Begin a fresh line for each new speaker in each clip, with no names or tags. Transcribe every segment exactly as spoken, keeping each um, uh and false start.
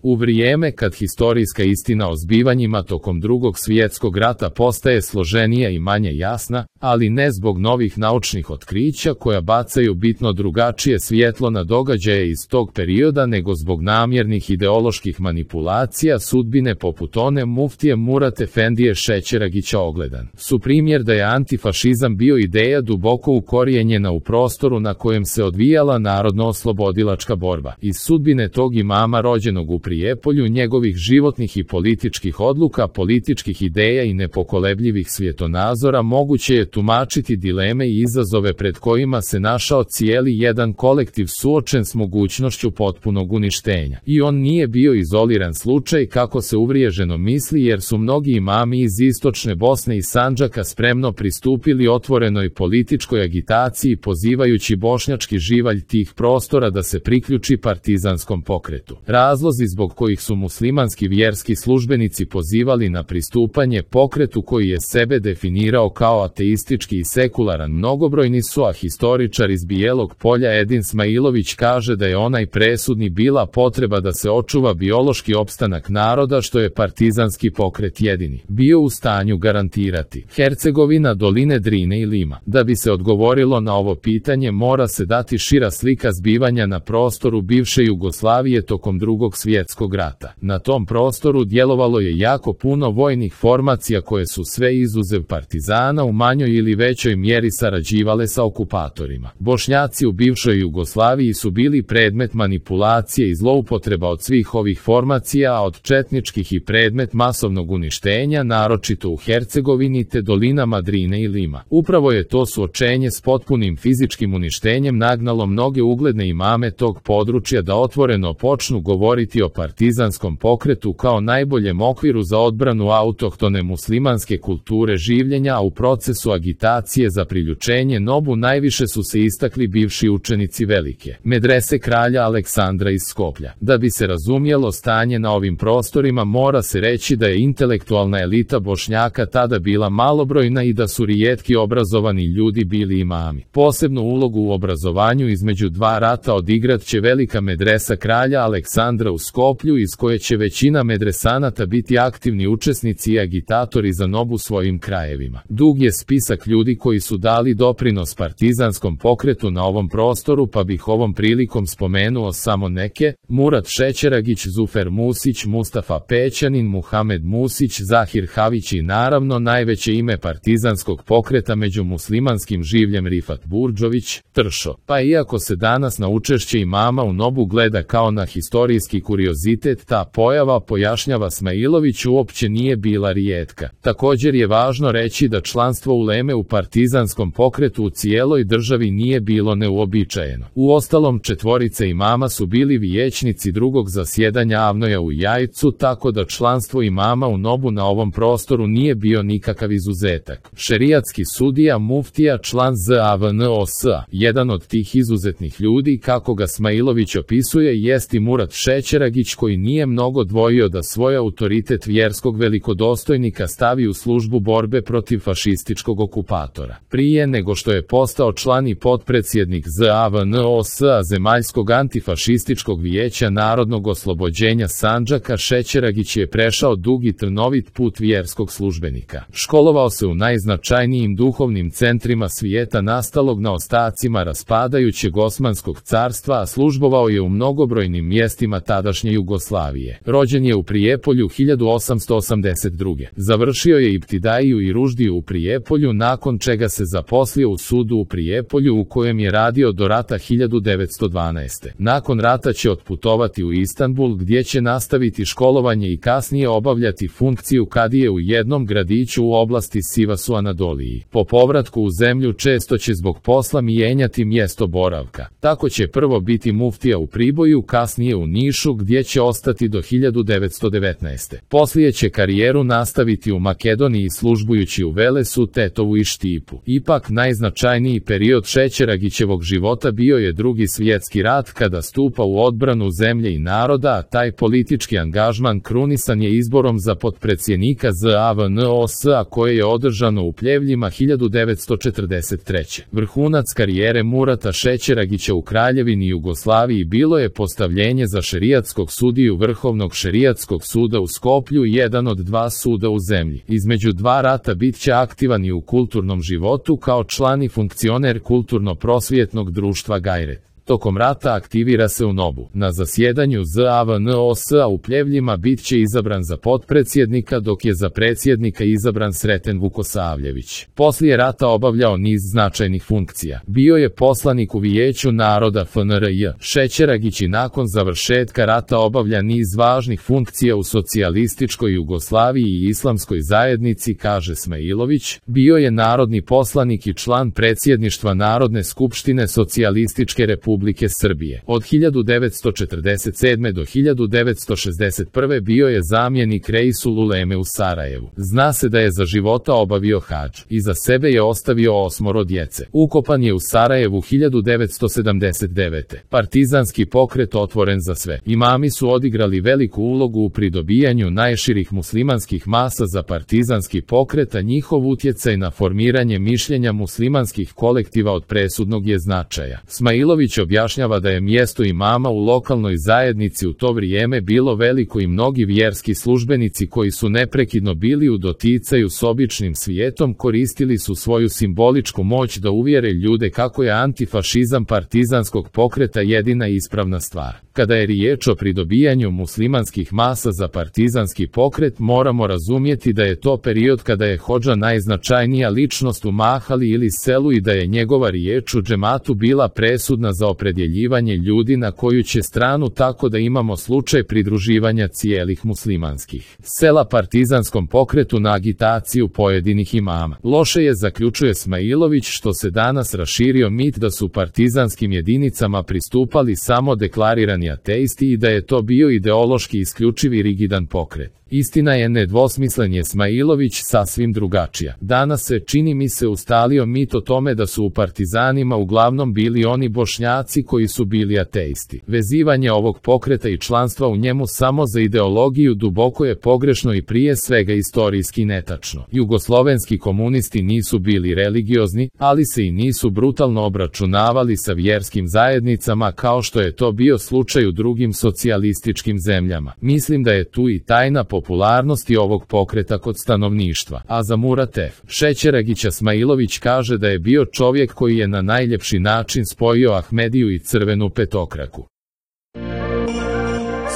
U vrijeme kad historijska istina o zbivanjima tokom Drugog svjetskog rata postaje složenija i manje jasna, ali ne zbog novih naučnih otkrića koja bacaju bitno drugačije svjetlo na događaje iz tog perioda nego zbog namjernih ideoloških manipulacija sudbine poput one muftije Murat Efendije Šećeragića ogledan su primjer da je antifašizam bio ideja duboko ukorijenjena u prostoru na kojem se odvijala narodno-oslobodilačka borba. Iz sudbine tog imama rođenog u Prijepolju, njegovih životnih i političkih odluka, političkih ideja i nepokolebljivih svjetonazora moguće je tumačiti dileme i izazove pred kojima se našao cijeli jedan kolektiv suočen s mogućnošću potpunog uništenja. I on nije bio izoliran slučaj kako se uvriježeno misli, jer su mnogi imami iz istočne Bosne i Sandžaka spremno pristupili otvorenoj političkoj agitaciji pozivajući bošnjački živalj tih prostora da se priključi partizanskom pokretu. Razlozi zbog kojih su muslimanski vjerski službenici pozivali na pristupanje pokretu koji je sebe definirao kao ateistički i sekularan mnogobrojni su, a historičar iz Bijelog Polja Edin Smailović kaže da je onaj presudni bila potreba da se očuva biološki opstanak naroda, što je partizanski pokret jedini bio u stanju garantirati. Hercegovina, doline Drine i Lima. Da bi se odgovorilo na ovo pitanje mora se dati šira slika zbivanja na prostoru bivše Jugoslavije tokom Drugog svjetskog rata. Na tom prostoru djelovalo je jako puno vojnih formacija koje su sve izuzev partizana u manjoj ili većoj mjeri sarađivale sa okupatorima. Bošnjaci u bivšoj Jugoslaviji su bili predmet manipulacije i zloupotreba od svih ovih formacija, a od četničkih i predmet masovnog uništenja, naročito u Hercegovini te dolinama Drine i Lima. Upravo je to suočenje s potpunim fizičkim uništenjem nagnalo mnoge ugledne imame tog područja da otvoreno počnu govoriti o partizanskom pokretu kao najboljem okviru za odbranu autohtone muslimanske kulture življenja, a u procesu agitacije za priključenje nobu najviše su se istakli bivši učenici velike medrese kralja Aleksandra iz Skoplja. Da bi se razumjelo stanje na ovim prostorima mora se reći da je intelektualna elita Bošnjaka tada bila malobrojna i da su rijetki obrazovani ljudi bili imami. Posebnu ulogu u obrazovanju između dva rata odigrat će velika medresa kralja Aleksandra u Skoplju, iz koje će većina medresanata biti aktivni učesnici i agitatori za nobu svojim krajevima. Dug je spisak ljudi koji su dali doprinos partizanskom pokretu na ovom prostoru, pa bih ovom prilikom spomenuo samo neke: Murat Šećeragić, Zufer Musić, Mustafa Pećanin, Muhamed Musić, Zahir Havić i naravno najveće ime partizanskog pokreta među muslimanskim življem Rifat Burdžović, Tršo. Pa iako se danas na učešće imama u nobu gleda kao na historijski kuriozitet, ta pojava, pojašnjava Smailović, uopće nije bila rijetka. Također je važno reći da članstvo uleme u partizanskom pokretu u cijeloj državi nije bilo neuobičajeno. Uostalom, četvorice imama su bili vijećnici drugog zasjedanja Avnoja u Jajcu, tako da članstvo imama u nobu na ovom prostoru nije bio nikakav izuzetak. Šerijatski sudija muftija, član Z A V N O S A. Jedan od tih izuzetnih ljudi, kako ga Smailović opisuje, jest i Murat Šećeragić, koji nije mnogo dvojio da svoj autoritet vjerskog velikodostojnika stavi u službu borbe protiv fašističkog okupatora. Prije nego što je postao član i potpredsjednik Z A V N O S A Zemaljskog antifašističkog vijeća narodnog oslobođenja Sandžaka, Šećeragić je prešao dug i trnovit put vjerskog službenika. Školovao se u najznačajnijim duhovnim centrima svijeta nastalog na ostacima raspadajućeg Osmanskog carstva, a službovao je u mnogobrojnim mjestima tadašnje Jugoslavije. Rođen je u Prijepolju hiljadu osamsto osamdeset druge. Završio je Iptidaiju i Ruždiju u Prijepolju, nakon čega se zaposlio u sudu u Prijepolju u kojem je radio do rata hiljadu devetsto dvanaeste. Nakon rata će otputovati u Istanbul, gdje će nastaviti školovanje i kasnije obavljati funkciju kadije u jednom gradiću u oblasti Sivasu Anadoliji. Po povratku u zemlju često će zbog posla mijenjati mjesto boravka. Tako će prvo biti muftija u Priboju, kasnije u Nišu, gdje će ostati do hiljadu devetsto devetnaeste. Poslije će karijeru nastaviti u Makedoniji službujući u Velesu, Tetovu i Štipu. Ipak najznačajniji period Šećeragićevog života bio je Drugi svjetski rat, kada stupa u odbranu zemlje i naroda, a taj politički angažman krunisan je izborom za potpredsjednika Z A V N O S A koje je održano u Pljevljima hiljadu devetsto četrdeset treće. Vrhunac karijere Murata Šećeragića u Kraljevini Jugoslaviji bilo je postavljenje za šerijatskog glavnog sudiju Vrhovnog šerijatskog suda u Skoplju i jedan od dva suda u zemlji. Između dva rata bit će aktivan i u kulturnom životu kao član i funkcioner kulturno-prosvjetnog društva Gajret. Tokom rata aktivira se u Nobu. Na zasjedanju Z A V N O S-a u Pljevljima bit će izabran za potpredsjednika, dok je za predsjednika izabran Sreten Vukosavljević. Poslije rata obavljao niz značajnih funkcija. Bio je poslanik u Vijeću naroda F N R J. Šećeragić i nakon završetka rata obavlja niz važnih funkcija u socijalističkoj Jugoslaviji i islamskoj zajednici, kaže Smailović. Bio je narodni poslanik i član predsjedništva Narodne skupštine Socijalističke republike Republike Srbije. Od hiljadu devetsto četrdeset sedme do hiljadu devetsto šezdeset prve bio je zamjenik Reisul Uleme u Sarajevu. Zna se da je za života obavio hadž. Iza sebe je ostavio osmoro djece. Ukopan je u Sarajevu hiljadu devetsto sedamdeset devete. Partizanski pokret otvoren za sve. Imami su odigrali veliku ulogu u pridobijanju najširih muslimanskih masa za partizanski pokret, a njihov utjecaj na formiranje mišljenja muslimanskih kolektiva od presudnog je značaja. Smailović objašnjava da je mjesto imama u lokalnoj zajednici u to vrijeme bilo veliko i mnogi vjerski službenici koji su neprekidno bili u doticaju s običnim svijetom koristili su svoju simboličku moć da uvjere ljude kako je antifašizam partizanskog pokreta jedina ispravna stvar. Kada je riječ o pridobijanju muslimanskih masa za partizanski pokret, moramo razumjeti da je to period kada je hodža najznačajnija ličnost u mahali ili selu i da je njegova riječ u džematu bila presudna za opredjeljivanje ljudi na koju će stranu, tako da imamo slučaj pridruživanja cijelih muslimanskih sela partizanskom pokretu na agitaciju pojedinih imama. Loše je, zaključuje Smailović, što se danas raširio mit da su partizanskim jedinicama pristupali samo deklarirani ateisti i da je to bio ideološki isključivi rigidan pokret. Istina je, nedvosmislen je Smailović, sasvim drugačija. Danas se, čini mi se, ustalio mit o tome da su u partizanima uglavnom bili oni Bošnjaci koji su bili ateisti. Vezivanje ovog pokreta i članstva u njemu samo za ideologiju duboko je pogrešno i prije svega istorijski netačno. Jugoslovenski komunisti nisu bili religiozni, ali se i nisu brutalno obračunavali sa vjerskim zajednicama kao što je to bio slučaj u drugim socijalističkim zemljama. Mislim da je tu i tajna popularnosti ovog pokreta kod stanovništva. A za Murat F. Šećeragića Smailović kaže da je bio čovjek koji je na najljepši način spojio Ahmediju i crvenu petokraku.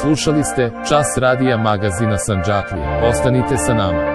Slušali ste Čas radija magazina Sandžaklija. Ostanite sa nama.